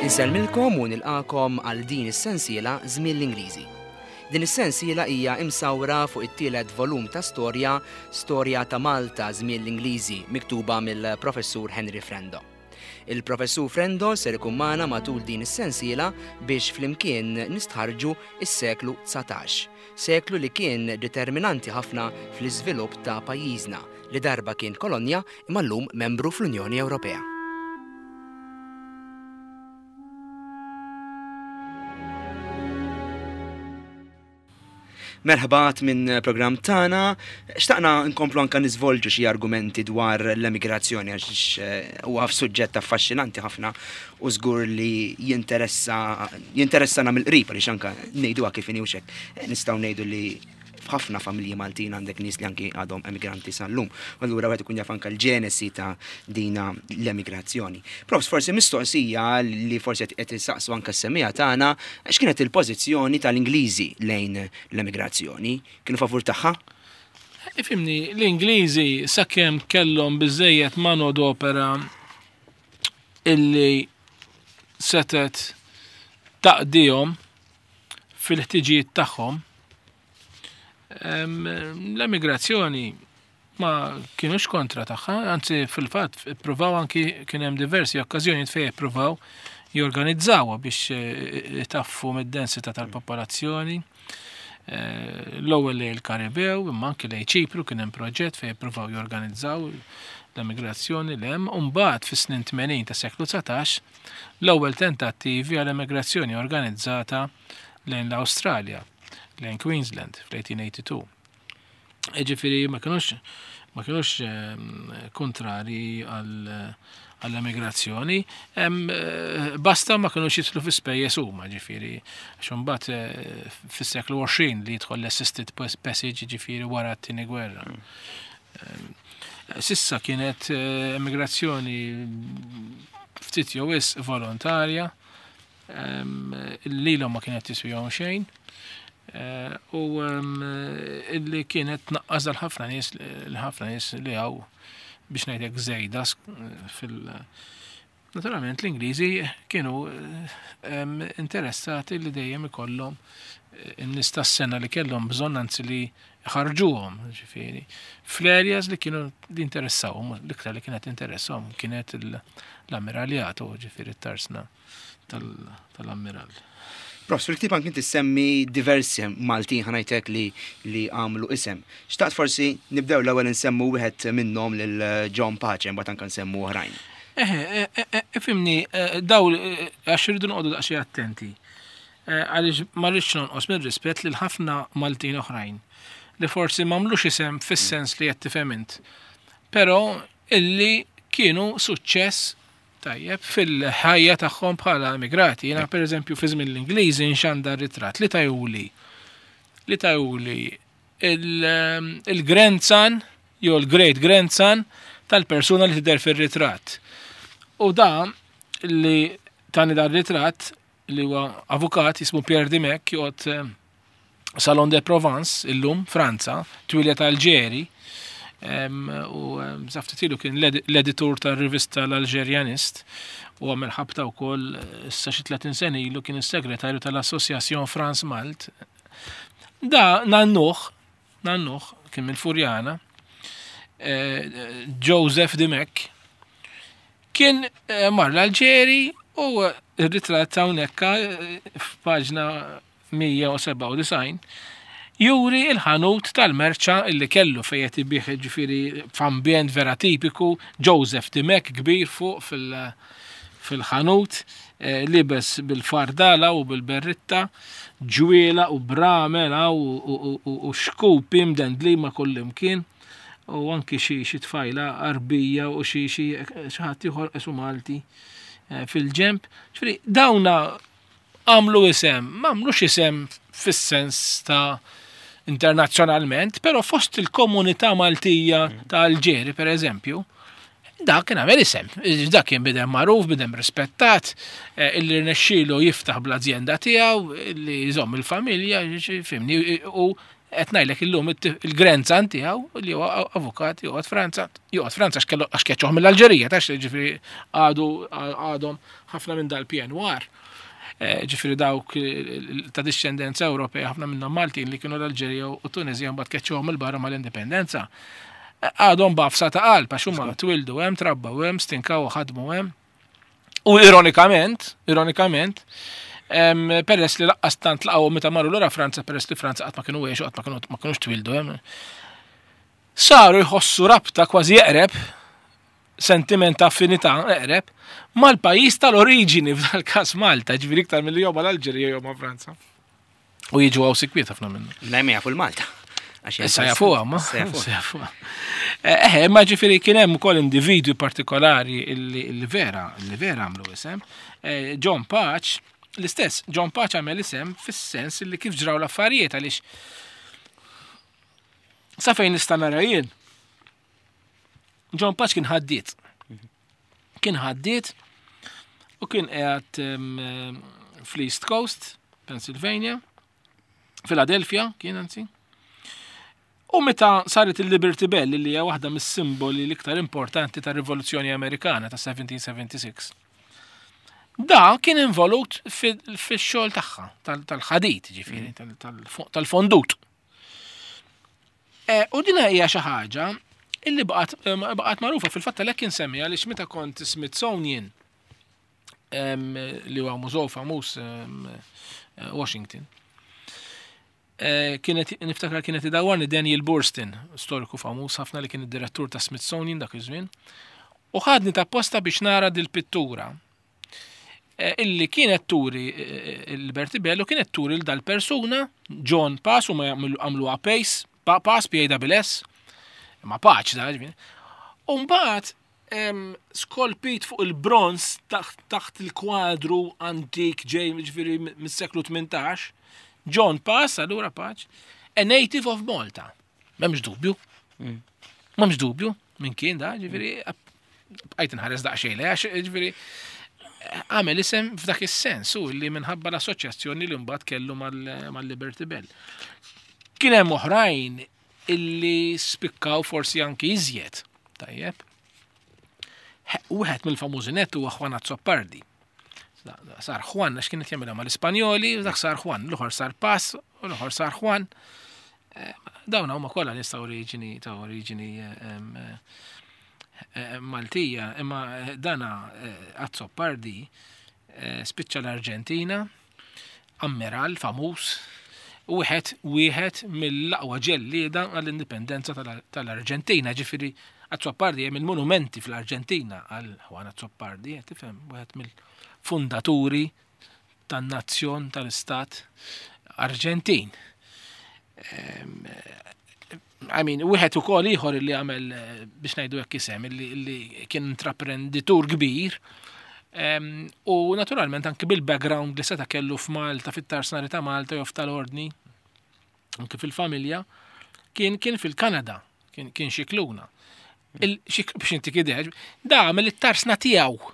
Insellmilkom u nilqakom għal din is-sensiela Żmien l-Ingliżi. Din is-sensiela hija imsawra fuq it-tielet volum ta' storja Storja ta' Malta Żmien l-Ingliżi miktuba mill-Professur Henry Frendo. Il-Professur Frendo ser ikun magħna matul din is-sensiela biex flimkien nistħarrġu s-seklu 19, seklu li kien determinanti ħafna fl-iżvilupp ta' pajjiżna li darba kien kolonja imma llum membru fl-Unjoni Ewropea. Merħba minn programm tagħna. Xtaqna nkomplu anka niżvolġu xi argumenti dwar l-emigrazzjoni għax eh, huwa suġġett affaxxinanti ħafna u żgur li jinteressa jinteressana mill-qrib għaliex anka ngħiduha kif inhi hekk. Eh, nistgħu ngħidu li f'ħafna familji Maltin għandek nies li anki għadhom emigranti sal-lum. Allura wieħed ikun jaf anke l-ġenesi ta' dina l-emigrazzjoni. Profs, forsi mistoqsija li forsi qed isaqsu anke s-semija tagħna, x'kienet il-pożizzjoni tal-Ingliżi lejn l-emigrazzjoni? Kienu favur tagħha? Ifimni, l-Ingliżi sakemm kellhom biżejjed manodopera illi setet taqdihom fil-ħtiġijiet tagħhom, l-emigrazzjoni ma kienux kontra tagħha, anzi fil-fatt ippruvaw anki kien hemm diversi okkażjonijiet fejn ippruvaw jorganizzawha biex eh, itaffu mid-densità tal-popolazzjoni. Eh, l-ewwel lejn il-Karibew, imma anki lejn Ċipru kien hemm proġett fejn ippruvaw jorganizzaw l-emigrazzjoni l hemm, u mbagħad fis-snin 80 ta' seklu 19 l-ewwel tentattivi għal emigrazzjoni organizzata lejn l-Awstralja, lejn Queensland fl-1882. Ġifieri ma kinux ma kinux ehm, kontrari għall-emigrazzjoni, ehm, eh, basta ma kinux jidħlu fi spejjeż huma, ġifieri, għax imbagħad eh, fis-seklu 20 li jidħol l-assisted passage ġifieri wara t-tieni gwerra. Mm. Ehm, sissa kienet eh, emigrazzjoni ftit jew wisq volontarja, ehm, lilhom ma kienet tiswihom xejn, eh, u ehm, illi kienet tnaqqas dal ħafna nies l-ħafna nies li hawn biex ngħidlek żejda fil- Naturalment l-Ingliżi kienu ehm, interessati li dejjem ikollhom eh, in-nies tas-sena li kellhom bżonn anzi li ħarġuhom, ġifieri. Fl-areas li kienu li interessawhom, l-iktar li kienet interessahom kienet l-ammiraljat, ġifieri t-tarsna tal-ammirall. Profs, fil-ktib anki inti semmi diversi Maltin ħanajtek li li għamlu isem. Xtaqt forsi nibdew l-ewwel nsemmu wieħed minnhom lil John Pace, mbagħad anke nsemmu oħrajn. Eħe, e, e, e, ifhimni, daw għax irridu noqogħdu daqsxejn attenti. Għaliex ma rridx nonqos mir-rispett lil ħafna Maltin oħrajn li forsi m'għamlux isem fis-sens li qed tifhem int. Però illi kienu suċċess Tajjeb, fil-ħajja tagħhom bħala emigrati. Jiena pereżempju fi żmien l-Ingliżi nxandar ritratt li tajuli li tajuli il-grandson jew il-great grandson tal-persuna li tidher fir-ritratt. U da li tani dar ritratt li huwa avukat jismu Pierre Dimech joqgħod eh, Salon de Provence illum Franza, twilja ta' Alġeri, u saftit ilu kien l-editur tar-rivista l-Alġerjanist u għamel ħabta wkoll eh, issa xi 30 sena ilu kien is-segretarju tal-Association France Malt. Da nannuh, nannuh kien mill-Furjana, eh, Joseph Dimech, kien eh, mar l-Alġeri u r-ritratt hawnhekk f'paġna 197, juri l-ħanut tal-merċa illi kellu fejn qed ibigħ jiġifieri f'ambjent vera tipiku, Joseph Dimech kbir fuq fil-ħanut, eh, libes bil-fardala u bil-berritta, ġwiela u bramel u xkupi mdendli ma' kullimkien u anki xi tfajla Għarbija u xi ħadd ieħor qisu Malti eh, fil-ġenb. Ġifieri dawna għamlu isem, ma għamlux isem fis-sens ta' internazzjonalment, però fost il-komunità Maltija ta' Alġeri, per eżempju, dak kien għamel isem. Dak kien bidem magħruf, bidem rispettat, eh, illi rnexxielu jiftaħ bl-azjenda tiegħu, illi jżomm il-familja, fimni, u Qed ngħidlek illum il-grandson tiegħu li huwa avukat joqgħod Franza, joqgħod Franza għax keċċuh mill-Alġerija, tax ġifieri għadu għadhom ħafna minn dal-PNR. Eh, ġifieri dawk ta' discendenza Ewropea ħafna minnhom Maltin li kienu l-Alġerija u Tunisija mbagħad keċċuhom il-barra mal-indipendenza. Eh, għadhom bafsa ta' qalb għax huma twildu hemm, trabbaw hemm, stinkaw u ħadmu hemm. U ironikament, ironikament, peress li laqqas tant laqgħu meta marru lura Franza, peress li Franza qatt ma kienu għexu, qatt ma kienu ma kinux twildu hemm. Saru jħossu rabta kważi eqreb, sentiment ta' affinità eqreb, mal-pajjiż tal-oriġini f'dal-każ Malta, ġifieri iktar milli jew mal-Alġerija jew ma' Franza. U jiġu għaw sikwiet ħafna minnu. Mela ma jafu l-Malta. Issa jafuha, ma. Issa jafuha. Eh, eh, ma ġifieri kien hemm ukoll individwi partikolari li vera, li vera għamlu isem. Eh, John Paċ, l-istess, John Paċ għamel isem fis-sens li kif ġraw l-affarijiet għaliex sa fejn nista' nara jien. John Paċ kien ħaddiet. Kien ħaddiet u kien qiegħed fl-East Coast, Pennsylvania, Philadelphia kien anzi. U meta saret il-Liberty Bell li hija waħda mis-simboli l-iktar importanti tar-Rivoluzzjoni Amerikana ta' 1776. Da kien involut fix-xogħol tagħha tal-ħadid, ġifieri, tal-fondut. Eh, u din hija xi ħaġa illi baqgħet eh, baqgħet magħrufa fil-fatt għalhekk insemmi għaliex meta kont Smithsonian li huwa mużew famuż eh, Washington. Kienet niftakar kienet idawwarni Daniel Burstyn, storiku famuż ħafna li kien id-direttur ta' Smithsonian dak iż-żmien, u ħadni ta' posta biex nara dil-pittura Eh, illi kienet turi eh, eh, Liberty Bell u kienet turi l dal-persuna, John Pass, u ma għamlu Pace, Pass, P-A-S-S, ma paċ da, ġvini. Umbat, skolpit fuq il-bronz taħt il-kwadru antik ġej ġviri mis-seklu 18, John Pass, allura paċ, a native of Malta. Memx dubju. Mm. Memx dubju minn kien da, ġviri, bqajt nħares daqsxejn le għax ġifieri għamel isem f'dak is-sens u li minħabba l-assoċjazzjoni li mbagħad kellu mal-Liberty Bell. Kien hemm oħrajn illi spikkaw forsi anki iżjed. Tajjeb. Wieħed mill-famużi net huwa Juan Azzopardi. Sar Juan għax kienet jagħmilha mal-Ispanjoli, dak sar Juan, l-oħor sar Pass, u l-oħor sar Juan. Eh, dawn huma kollha nies ta' oriġini ta' oriġini eh, eh, Maltija, imma dana Azzopardi spiċċa l-Arġentina, ammiral famuż, wieħed wieħed mill-aqwa ġellieda għall-indipendenza tal-Arġentina, ġifieri Azzopardi hemm il-monumenti fl-Arġentina għal Juan Azzopardi, tifhem, wieħed mill-fundaturi tan-nazzjon tal-istat Arġentin. Ehm, I mean, wieħed ukoll ieħor li għamel eh, biex ngħidu hekk isem li kien intraprenditur kbir. Ehm, u naturalment anki bil-background li seta' kellu f'Malta, fit-tarsnari ta' Malta jew tal-Ordni, anki fil-familja, kien kien fil-Kanada, kien kien xikluna. Biex inti kideh, da għamel it-tarsna tiegħu.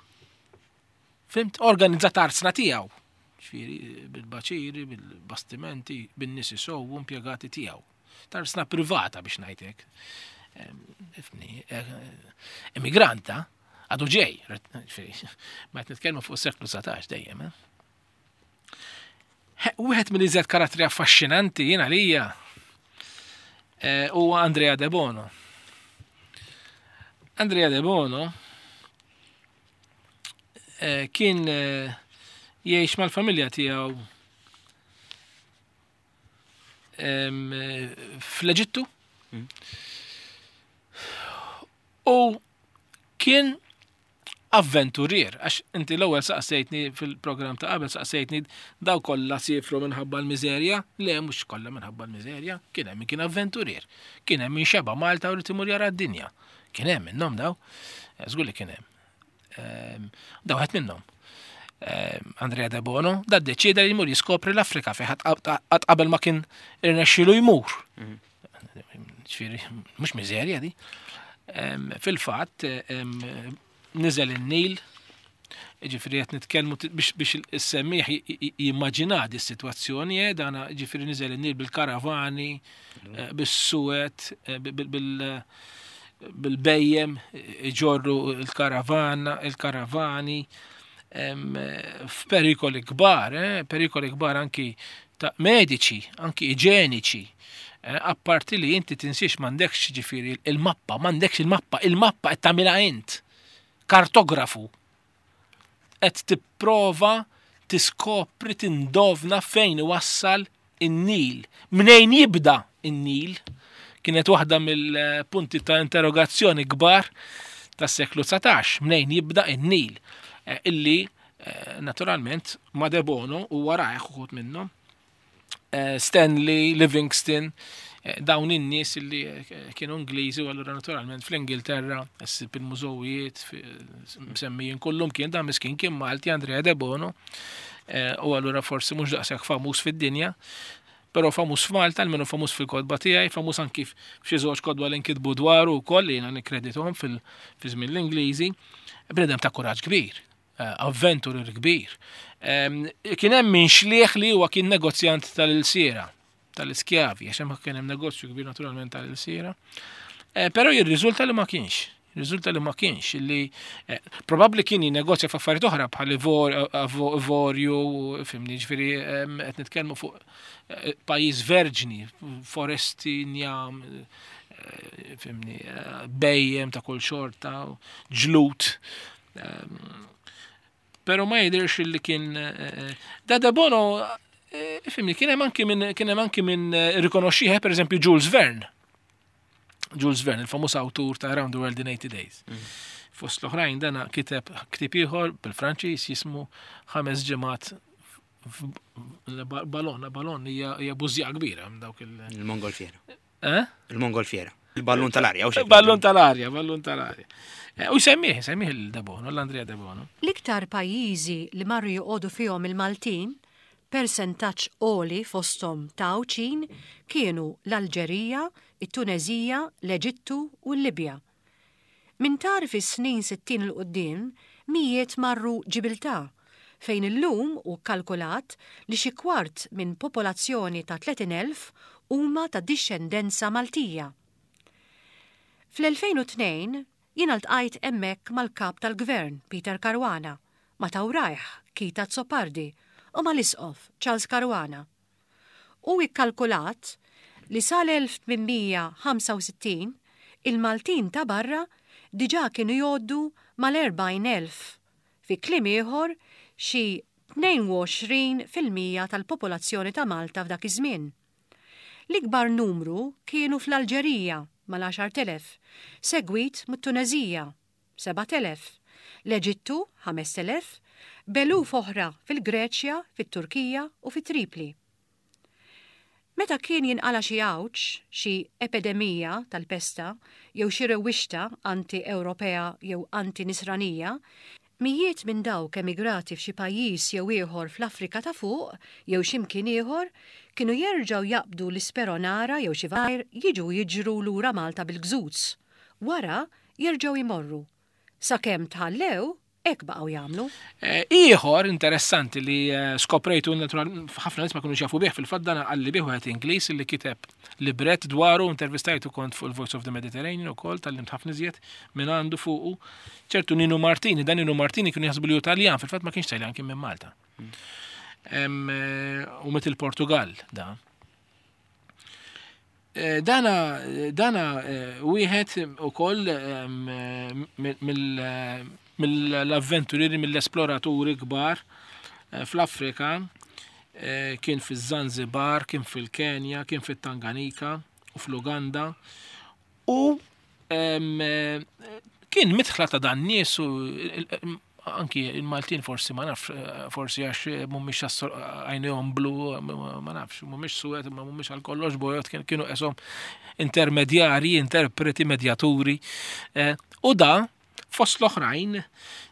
Fimt? Organizza tarsna tiegħu. Ġifieri bil-baċiri, bil-bastimenti, bin-nies isowu impjegati tiegħu. Tarsna privata biex ngħidlek. Ifni, eh, immigranta, għadu ġej, ma qed nitkellmu fuq seklu 19 dejjem. Eh? Wieħed mill-iżjed karattri affaxxinanti jien għalija eh, huwa Andrea De Bono. Andrea De Bono eh, kien eh, jgħix mal-familja tiegħu fl-Eġittu. Mm. U kien avventurier, għax inti l-ewwel saqsejtni fil-programm ta' qabel saqsejtni daw kollha sifru minħabba l-miżerja, le mhux kollha minħabba l-miżerja, kien hemm min kien avventurier, kien hemm min xeba Malta u rid imur jara d-dinja. Kien hemm minnhom daw, eh, żgur li kien hemm. Ehm, daw ħadd minnhom. Ehm, Andrea De Bono, da deċida li jmur jiskopri l-Afrika fejn qatt qabel ma kien irnexxielu jmur. Mhm. Ġifieri, mhux miżerja di. Ehm, fil-fatt, niżel in-Nil. Ġifieri qed nitkellmu biex is-semmiegħ jimmaġina di s-sitwazzjoni, eh, dana ġifieri niżel in-Nil bil-karavani, eh, bis-suwed, eh, bil-bejjem, iġorru il-karavana, il-karavani, f'perikoli kbar, perikoli kbar anki ta' mediċi, anki iġeniċi. Apparti li inti tinsiex m'għandekx ġifieri il-mappa, m'għandekx il-mappa, il-mappa qed tagħmilha int. Kartografu. Qed tipprova tiskopri tindovna fejn iwassal in-Nil. Mnejn jibda in-Nil kienet waħda mill-punti ta' interrogazzjoni kbar tas-seklu 19, mnejn jibda in-Nil, eh, illi eh, naturalment ma De Bono u warajh uħud minnhom Eh, Stanley, Livingston, eh, dawn in-nies li eh, kienu Ingliżi u allura naturalment fl-Ingilterra ssib il-mużowijiet msemmijin kullum kien dan miskin kien Malti Andrea De Bono u allura forsi mhux daqshekk famuż fid-dinja, però famuż f'Malta, almenu famuż fil-kodba tiegħi, famuż anki f'xi żewġ kodba li nkitbu dwaru wkoll li jiena nikkredithom fil-żmien l-Ingliżi, bnedem ta' kuraġġ kbir. Eh, avventurer kbir. Kien hemm min xlieħ li huwa kien negozjant tal-ilsiera, tal-iskjavi, għax hemm kien hemm negozju kbir naturalment tal-ilsiera. Eh, però jirriżulta li ma kienx. Riżulta li ma kienx, li eh, probabbli kien jinnegozja f'affarijiet oħra bħal ivorju, fimni, ġifieri qed nitkellmu fuq pajjiż verġni, foresti, njam, fimni, bejjem ta' kull xorta, ġlut. Ehm, pero ma jidirx li kien eh, eh, da De Bono eh, fimni kien hemm anki minn kien hemm anki minn rikonoxxih per eżempju Jules Verne. Jules Verne, il-famuż awtur ta' Around the World in 80 Days. Mm. Fost l-oħrajn dana kiteb ktib ieħor bil-Franċiż jismu ħames ġimgħat balon, balon hija bużja kbira dawk il- Il-Mongolfiera. Eh? Il-Mongolfiera. Il-ballun tal-arja. Ballun tal-arja, ballun tal-arja. Eh, u jsemmih, jsemmih il-Debono, l-Andrea Debono. L-iktar pajjiżi li marru joqogħdu fihom il-Maltin, persentaġġ għoli fosthom ta' Għawdxin, kienu l-Alġerija, it-Tuneżija, l-Eġittu u l-Libja. Minn tarf is-snin 60 'l quddiem, mijiet marru Ġibiltà, fejn illum hu kkalkulat li xi kwart minn popolazzjoni ta' 30,000 huma ta' dixxendenza Maltija. Fl-2002 jiena ltqajt hemmhekk mal-Kap tal-Gvern, Peter Caruana, ma' Tawrajh, Keith Azzopardi, u mal-Isqof, Charles Caruana. Hu ikkalkulat li sal-1865 il-Maltin ta' barra diġà kienu jgħoddu mal-40,000, fi kliem ieħor xi 22% tal-popolazzjoni ta' Malta f'dak iż-żmien. L-ikbar numru kienu fl-Alġerija mal-10,000, segwit mit-Tuneżija, 7,000, l-Eġittu, 5,000, b'eluf oħra fil-Greċja, fit-Turkija u fi Tripli. Meta kien jinqala' xi għawġ, xi epidemija tal-pesta jew xi rewwixta anti-Ewropea jew anti-Nisranija, mijiet minn dawk emigrati f'xi pajjiż jew ieħor fl-Afrika ta' Fuq jew xi mkien ieħor kienu jerġgħu jaqbdu l-isperonara jew xi jiġu jiġru lura Malta bil-gżuz. Wara jerġgħu jmorru. Sakemm tħallew, hekk baqgħu jagħmlu. Eh, ieħor interessanti li eh, skoprejtu natural ħafna nies ma kinux jafu bih fil-fatt dan qalli bih wieħed Ingliż li kiteb libret dwaru intervistajtu kont fuq il-Voice of the Mediterranean ukoll tal-lim ħafna iżjed minn għandu fuqu. ċertu Ninu Martini, dan Ninu Martini kienu jaħsbu li hu Taljan, fil-fatt ma kienx Taljan kien minn Malta. Eh, u mit il-Portugal da. Eh, dana, dana eh, wieħed ukoll mill-avventurieri, mill-esploraturi kbar eh, fl-Afrika, kien fiż-Zanzibar, kien fil-Kenja, kien fit-Tanganika u fl-Uganda. U kien mitħla ta' dan nies u anki il-Maltin forsi ma nafx, forsi għax mhumiex għajnejhom blu, ma nafx, mhumiex suwed, ma mhumiex għal kollox bojod, kienu qeshom intermedjarji, interpreti, medjaturi. Eh, u da, fost l-oħrajn,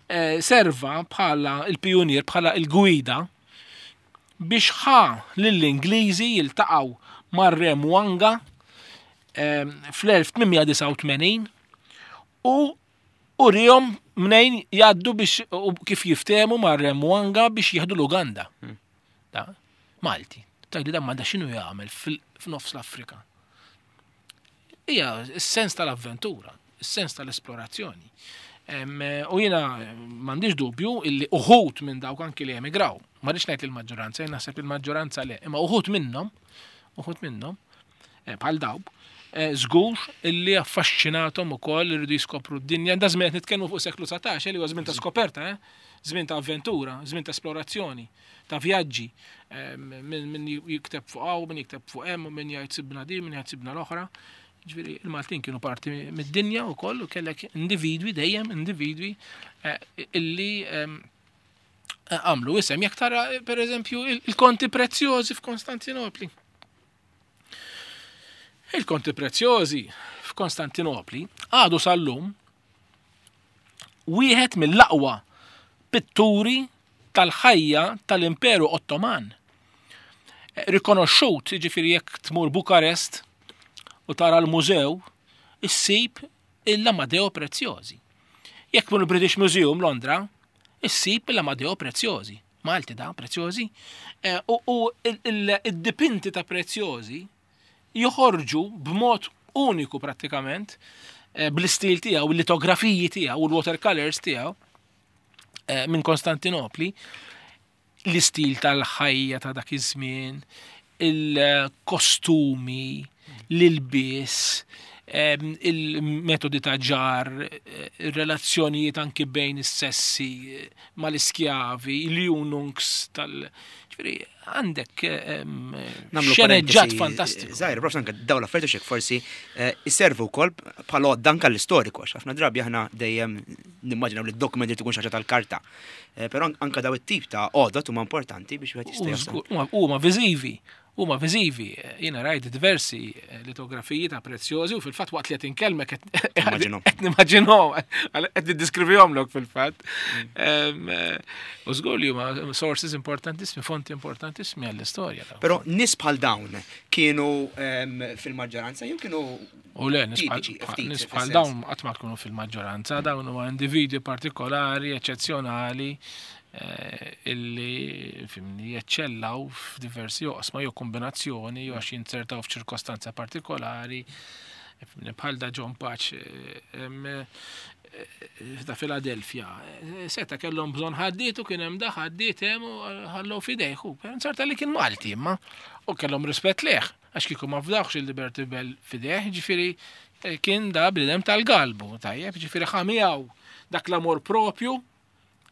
eh, serva bħala il-pijunier, bħala il-gwida biex ħa lill-Ingliżi jiltaqgħu mar-Re Mwanga eh, fl-1889 u. Urihom mnejn jgħaddu biex u kif jiftehmu mar-Re Mwanga biex jieħdu l-Uganda. Da, Malti. Tgħidli dan ma da x'inhu jagħmel f'nofs l-Afrika. Hija s-sens tal-avventura, is-sens tal-esplorazzjoni. U jiena m'għandix dubju illi uħud minn dawk anki li emigraw, ma rridx ngħid il-maġġoranza, jien naħseb il-maġġoranza le, imma uħud minnhom, uħud minnhom, eh, bħal dawk, eh, żgur illi affaxxinathom ukoll irridu jiskopru d-dinja. Da żmien qed nitkellmu fuq seklu 19 eh, li huwa żmien ta' skoperta, żmien ta' avventura, żmien ta' esplorazzjoni, ta' vjaġġi, min jikteb fuq hawn, min jikteb fuq hemm, min jgħid sibna din, min jgħid sibna l-oħra. Ġifieri il-Maltin kienu parti mid-dinja wkoll u kellek individwi dejjem individwi eh, illi ehm, għamlu isem. Jekk tara per eżempju il-konti prezzjożi f'Konstantinopli. Il-konti prezzjożi f'Konstantinopli għadu sal-lum wieħed mill-aqwa pitturi tal-ħajja tal-Imperu Ottoman. Rikonoxxut, jiġifieri jekk tmur Bukarest u tara l-mużew, issib l-Amadeo Preziosi. Jekk tmur il-British Museum Londra, issib l-Amadeo Preziosi. Malti da, Preziosi. Eh, u id-dipinti ta' Preziosi joħorġu b'mod uniku prattikament eh, bl-istil tiegħu, il-litografiji tiegħu u l-watercolors tiegħu eh, minn Konstantinopli, l-istil tal-ħajja ta' dak iż-żmien, il-kostumi, l-ilbies, il-metodi ta' ġar, eh, il-relazzjonijiet anki bejn is-sessi eh, mal-iskjavi, il-ununks tal- Ġifieri, għandek xeneġġat fantastiku. Zaħir, prof, anke dawn l-affarijiet xek forsi eh, iservu wkoll bħala għodda anke l-istoriku, għax ħafna drabi aħna dejjem nimmaġinaw li d-dokumenti tkun xi ħaġa tal-karta. Eh, però anke daw it-tip ta' għodot huma importanti biex wieħed jista' jasal. Huma viżivi huma viżivi. Jiena rajt diversi eh, litografiji ta' prezzjożi u fil-fatt waqt li qed inkellmek qed nimmaġinhom, qed niddiskrivihomlok fil-fatt. Mm. Eh, u żgur li huma sources importantissimi, fonti importantissimi għall-istorja. Però nies bħal dawn kienu fil-maġġoranza jew kienu U le, nies bħal dawn qatt ma tkunu fil-maġġoranza, dawn huma individwi partikolari, eċċezzjonali, eh, illi fimni jeċċellaw f'diversi oqsma jew kombinazzjoni jew għax jinzertaw f'ċirkostanza partikolari. Fimni bħal da John Paċ eh, eh, ta' Philadelphia. Seta kellhom bżonn ħaddiet u kien hemm da ħaddiet hemm u ħallew f'idejh. Nzerta li kien Malti imma u kellhom rispett leh għax kieku ma fdawx il-Liberty Bell f'idejh, ġifieri kien da bniedem tal-galbu, tajjeb, ġifieri ħamijaw dak l-amor propju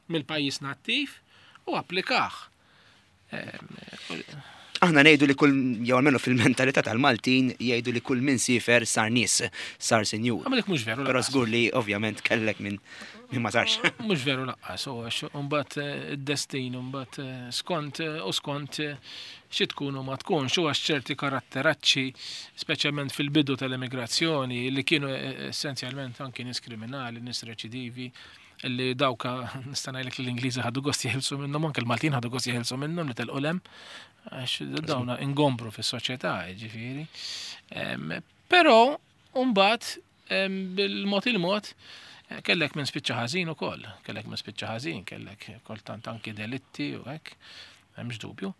mill-pajjiż nattiv u applikah. Aħna ngħidu li kull jew almenu fil-mentalità tal-Maltin jgħidu li kull min sifer sar nies, sar sinjur. Ma dik mhux veru. Però żgur li ovvjament kellek minn min ma sarx. Mhux veru laqqas, u għax imbagħad eh, id-destin imbagħad eh, skont eh, u skont xi tkun u ma tkunx u għax ċerti karatteracċi, speċjalment fil-bidu tal-immigrazzjoni li kienu essenzjalment anki nies kriminali, nies reċidivi, li dawk nista' ngħidlek li l-Ingliżi ħadu gost jeħilsu minnhom, anke l-Maltin ħadu gost jeħilsu minnhom li telqu lem, għax dawna ingombru fis-soċjetà, ġifieri. Però mbagħad bil-mod il-mod eh, kellek minn spiċċa ħażin ukoll, kellek minn spiċċa ħażin, kellek kultant anki delitti u hekk, hemmx dubju.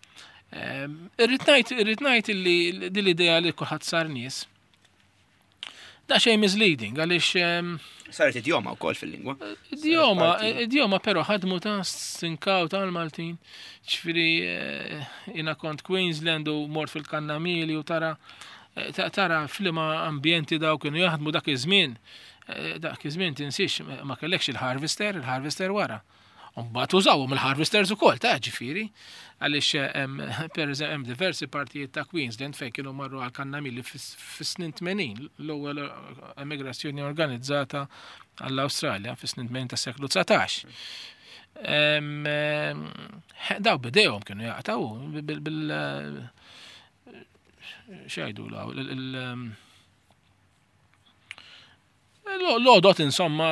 Irrid ngħid irrid ngħid li din l-idea li kulħadd sar nies Da xejn misleading għaliex ehm, Saret idjoma wkoll fil-lingwa. Idjoma, idjoma però ħadmu ta' sinkaw tal-Maltin. Ġifieri eh, jiena kont Queensland u mort fil-Kannamili u tara eh, tara flima ambjenti daw kienu jaħdmu dak iż-żmien. Eh, dak iż-żmien tinsiex ma kellekx il-harvester, il-harvester wara. Mbagħad użawhom il-harvesters ukoll ta' ġifieri, għaliex per eżempju hemm diversi partijiet ta' Queensland fejn kienu marru għal kannamili fis-snin 80, l-ewwel emigrazzjoni organizzata għall-Awstralja fis-snin 80 tas-seklu 19. Daw bidejhom kienu jaqtaw bil xejdu L-għodot insomma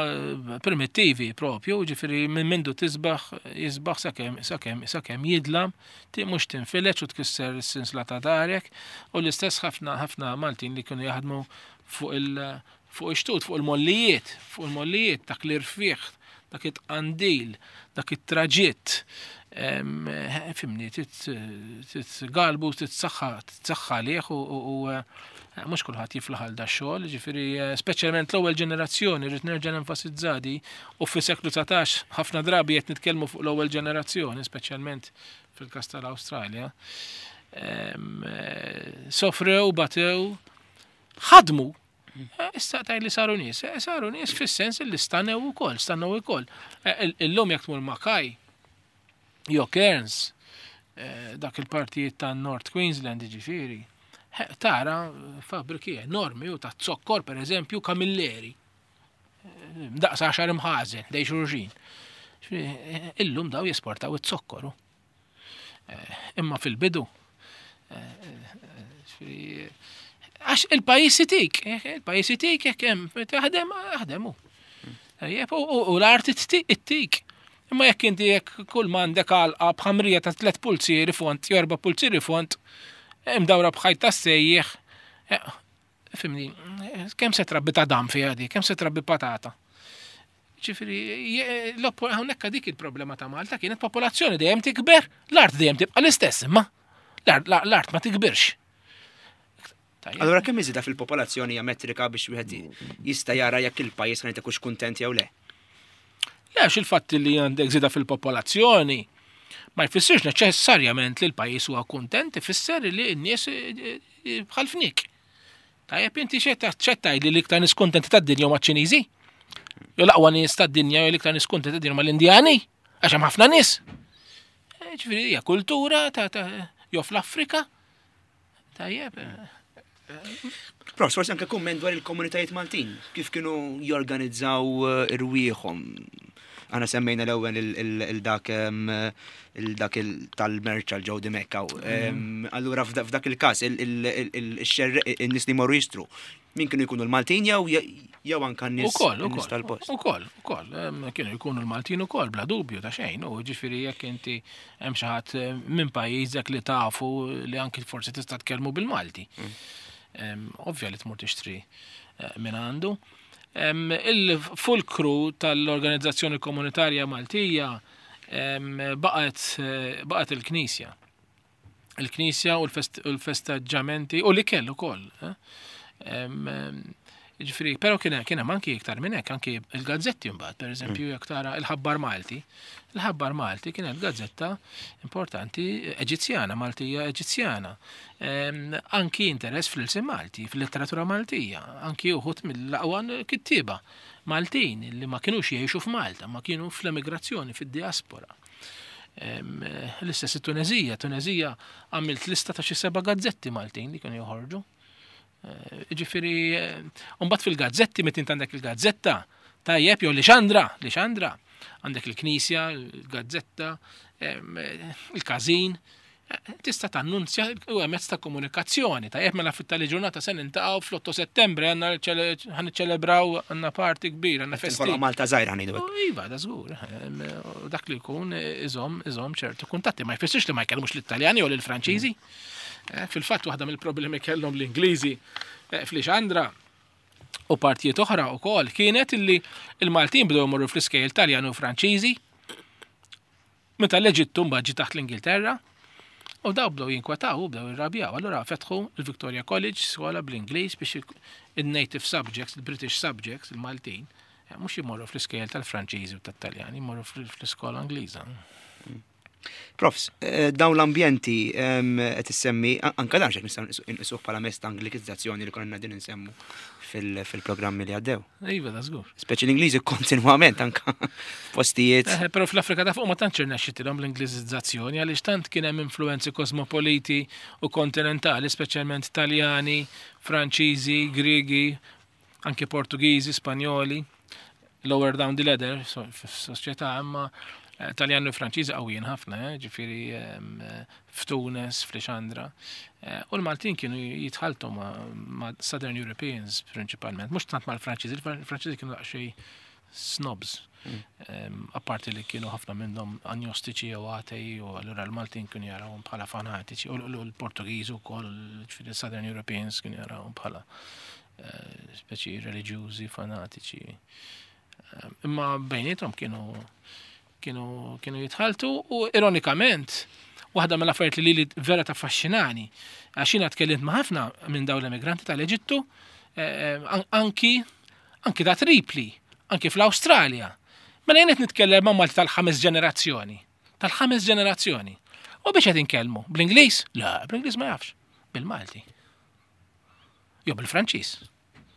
primittivi propju, ġifiri minn mindu tisbaħ, jisbaħ sakemm sakemm sakemm jidlam, mhux tinfileċ u tkisser is-sinsla ta' darek, u l-istess ħafna ħafna Maltin li kienu jaħdmu fuq il Fuq ix-xtut, fuq il-mollijiet, fuq il-mollijiet, dak l-irfieħ, dak it-tqandil, dak it-traġitt. Fimni, titgalbu, titsaħħa, titsaħħa għalih u eh, mhux kulħadd jiflaħ għal da xogħol, ġifieri eh, speċjalment l-ewwel ġenerazzjoni rrid nerġa' nenfasizza di u fis-seklu 19 ħafna drabi qed nitkellmu fuq l-ewwel ġenerazzjoni, speċjalment fil-każ tal-Awstralja. Eh, sofrew, batew, ħadmu Eh, issa taj li saru nies, eh, saru nies fis-sens li stanew ukoll, stanew ukoll. Eh, illum jekk tmur Makaj, jo Cairns, dak il-partijiet ta' North Queensland ġifieri, tara fabbriki enormi u ta' zokkor per eżempju kamilleri. Daqs għaxar imħażen, dej xurxin. Illum daw jesportaw it-zokkoru. Imma fil-bidu, għax il-pajis itik, il-pajis itik jekk hemm taħdem, aħdem hu. U l-art ittik. Imma jekk inti jekk kull m'għandek għalqa b'ħamrija ta' tliet pulzieri font, jew erba' pulzieri font, imdawra b'ħajt ta' sejjeħ, eh, fimni, kemm se trabbi ta' dam fiha di, kemm se trabbi patata. Ġifieri, hawnhekk dik il-problema ta' Malta kienet popolazzjoni dejjem tikber, l-art dejjem tibqa' l-istess, imma l-art ma tikbirx. Allora kemm iżida fil-popolazzjoni hija metrika biex wieħed jista' jara jekk il-pajjiż ħan ikunx kuntent jew le? Le, għax il-fatt li għandek żieda fil-popolazzjoni ma jfissirx neċessarjament li l-pajjiż huwa kuntent, ifisser li n-nies eh, eh, bħal fnik. Tajjeb inti x'qed li l-iktar nies kuntenti tad-dinja huma ċ-Ċiniżi? Jew l-aqwa nies tad-dinja jew l-iktar nies kuntenti tad-dinja huma l-Indjani? Għax hemm ħafna nies. Eh, ġifieri hija kultura ta' jew fl-Afrika. Tajjeb. Eh, eh. Prof, forsi anke kumment dwar il-komunitajiet Maltin, kif kienu jorganizzaw irwieħhom Aħna semmejna l-ewwel il-dak il-dak tal-merċ għal ġew Dimekka. Mm. Allura f'dak il-każ il-nies li jmorru jixtru, min kienu jkunu l-Maltin jew jew anka n-nies tal-post. Ukoll, ukoll, kienu jkunu l-Maltin ukoll bla dubju ta' xejn, u ġifieri jekk inti hemm xi ħadd minn pajjiżek li tafu li anki forsi tista' tkellmu bil-Malti. Mm. Ovvja li tmur tixtri eh, minn għandu. Il-fulkru tal-Organizzazzjoni Komunitarja Maltija baqgħet baqgħet il-Knisja. Il-Knisja u l-festeġġamenti u l-ikel ukoll. Eh? Ġifieri, però kien kien hemm anki iktar minn hekk, anki il-gazzetti mbagħad, pereżempju mm. jekk tara il-Ħabbar Malti. Il-Ħabbar Malti kienet gazzetta importanti Eġizzjana, Maltija Eġizzjana. Anki interess fl-ilsien Malti, fil-letteratura Maltija, anki uħud mill-aqwa kittieba Maltin li ma kinux jgħixu f'Malta, ma kienu fl-emigrazzjoni, fid-diaspora. L-istess it-Tunezija, Tunezija għamilt lista ta' xi seba' gazzetti Maltin li kienu joħorġu. Eh, ġifieri, eh, mbagħad fil-gazzetti, meta int għandek il-gazzetta, tajjeb jew li xandra, li xandra, għandek il-knisja, il-gazzetta, eh, il-każin, tista' tannunzja u mezz ta' komunikazzjoni. Tajjeb mela fit-tali ġurnata se nintaqgħu fl-8 Settembru għandna ħaniċċelebraw għandna party kbir, għandna festi. Malta żgħira ħanidu. Iva, da żgur. Dak li jkun iżomm iżomm ċertu kuntatti ma jfissirx li ma jkellmux l-Italjani jew l-Franċiżi. Eh, fil-fatt waħda mill-problemi kellhom l-Ingliżi eh, fl-Ixandra u partijiet oħra wkoll kienet illi il-Maltin bdew imorru fl-iskejjel Taljan u Franċiżi meta l-Eġittu mbagħad ġie taħt l-Ingilterra u daw bdew jinkwetaw u bdew irrabjaw. Allura fetħu il-Victoria College skola bl-Ingliż biex il-native subjects, il-British subjects, il-Maltin, eh, mhux jimorru fl-iskejjel tal-Franċiżi u tat-Taljani, jmorru fl-iskola Ingliża. Profs, eh, dawn l-ambjenti ehm, qed issemmi anke dan xek nistgħu nqisuh bħala mezz ta' Anglikizzazzjoni li konna din insemmu fil-programmi li għaddew. Iva, da żgur. Speċi l-Ingliżi kontinwament anka f'postijiet. Eh, però fl-Afrika ta' fuq ma tantx irnexxitilhom l-Ingliżizzazzjoni għaliex tant kien hemm influenzi kosmopoliti u kontinentali, speċjalment Taljani, Franċiżi, Griegi, anke Portugiżi, Spanjoli, lower down the ladder fis-soċjetà, imma eh, Taljan u Franċiżi qawwijin ħafna, eh, ġifieri ehm, f'Tunis, f'Lixandra. Eh, u l-Maltin kienu jitħaltu ma' Southern Europeans prinċipalment, mhux tant mal-Franċiżi, il-Franċiżi kienu daqsxejn snobs. Mm. Ehm, apparti li kienu ħafna minnhom agnostiċi jew atei u allura l-Maltin kienu jarawhom bħala fanatiċi u l-Portugiżi wkoll, ġifieri Southern Europeans kienu jarawhom bħala. eh, speċi reliġjużi, fanatiċi. Eh, imma bejnietom kienu kienu kienu jitħaltu u ironikament waħda mill-affarijiet li li vera taffaxxinani għax jiena tkellimt ma' ħafna minn dawn l-emigranti tal-Eġittu eh, anki anki ta' Tripli, anki fl-Awstralja. Mela jien qed nitkellem ma' Malti tal-ħames ġenerazzjoni. Tal-ħames ġenerazzjoni. U biex qed inkellmu? Bl-Ingliż? Le, bl-Ingliż ma jafx. Bil-Malti. Jew bil-Franċiż.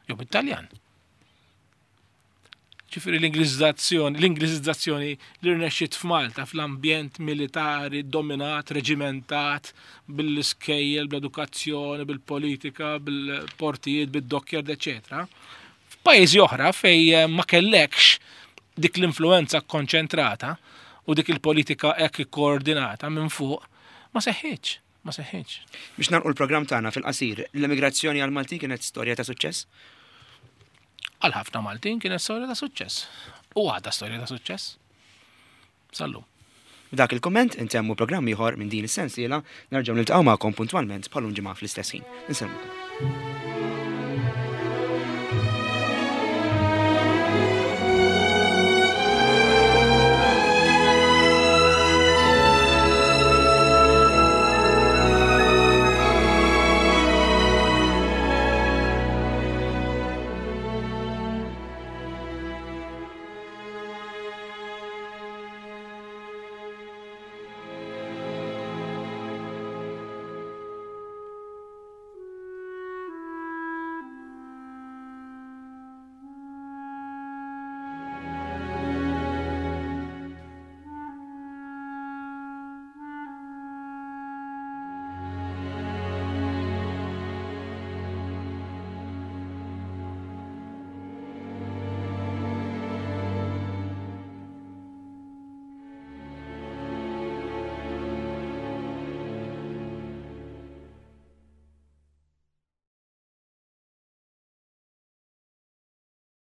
Jew bil-Taljan. Ġifieri l-Ingliżizzazzjoni, l-Ingliżizzazzjoni li rnexxiet f'Malta fl-ambjent militari dominat, reġimentat, bil-iskejjel, bl-edukazzjoni, bil-politika, bil-portijiet, bid-dockyard, eċetera. F'pajjiżi oħra fej eh, ma kellekx dik l-influenza konċentrata u dik il-politika hekk ikkoordinata minn fuq, ma seħħitx, ma seħħitx. Biex nagħlqu l-programm tagħna fil-qasir, l-emigrazzjoni għal Maltin kienet storja ta' suċċess? Għal ħafna Maltin kienet storja ta' suċċess. U għadha storja ta' suċċess. Sallum. B'dak il-kumment intemmu programm ieħor minn din is-sensiela nerġgħu niltaqgħu magħkom puntwalment bħal ġimgħa fl-istess ħin. Insellmukom.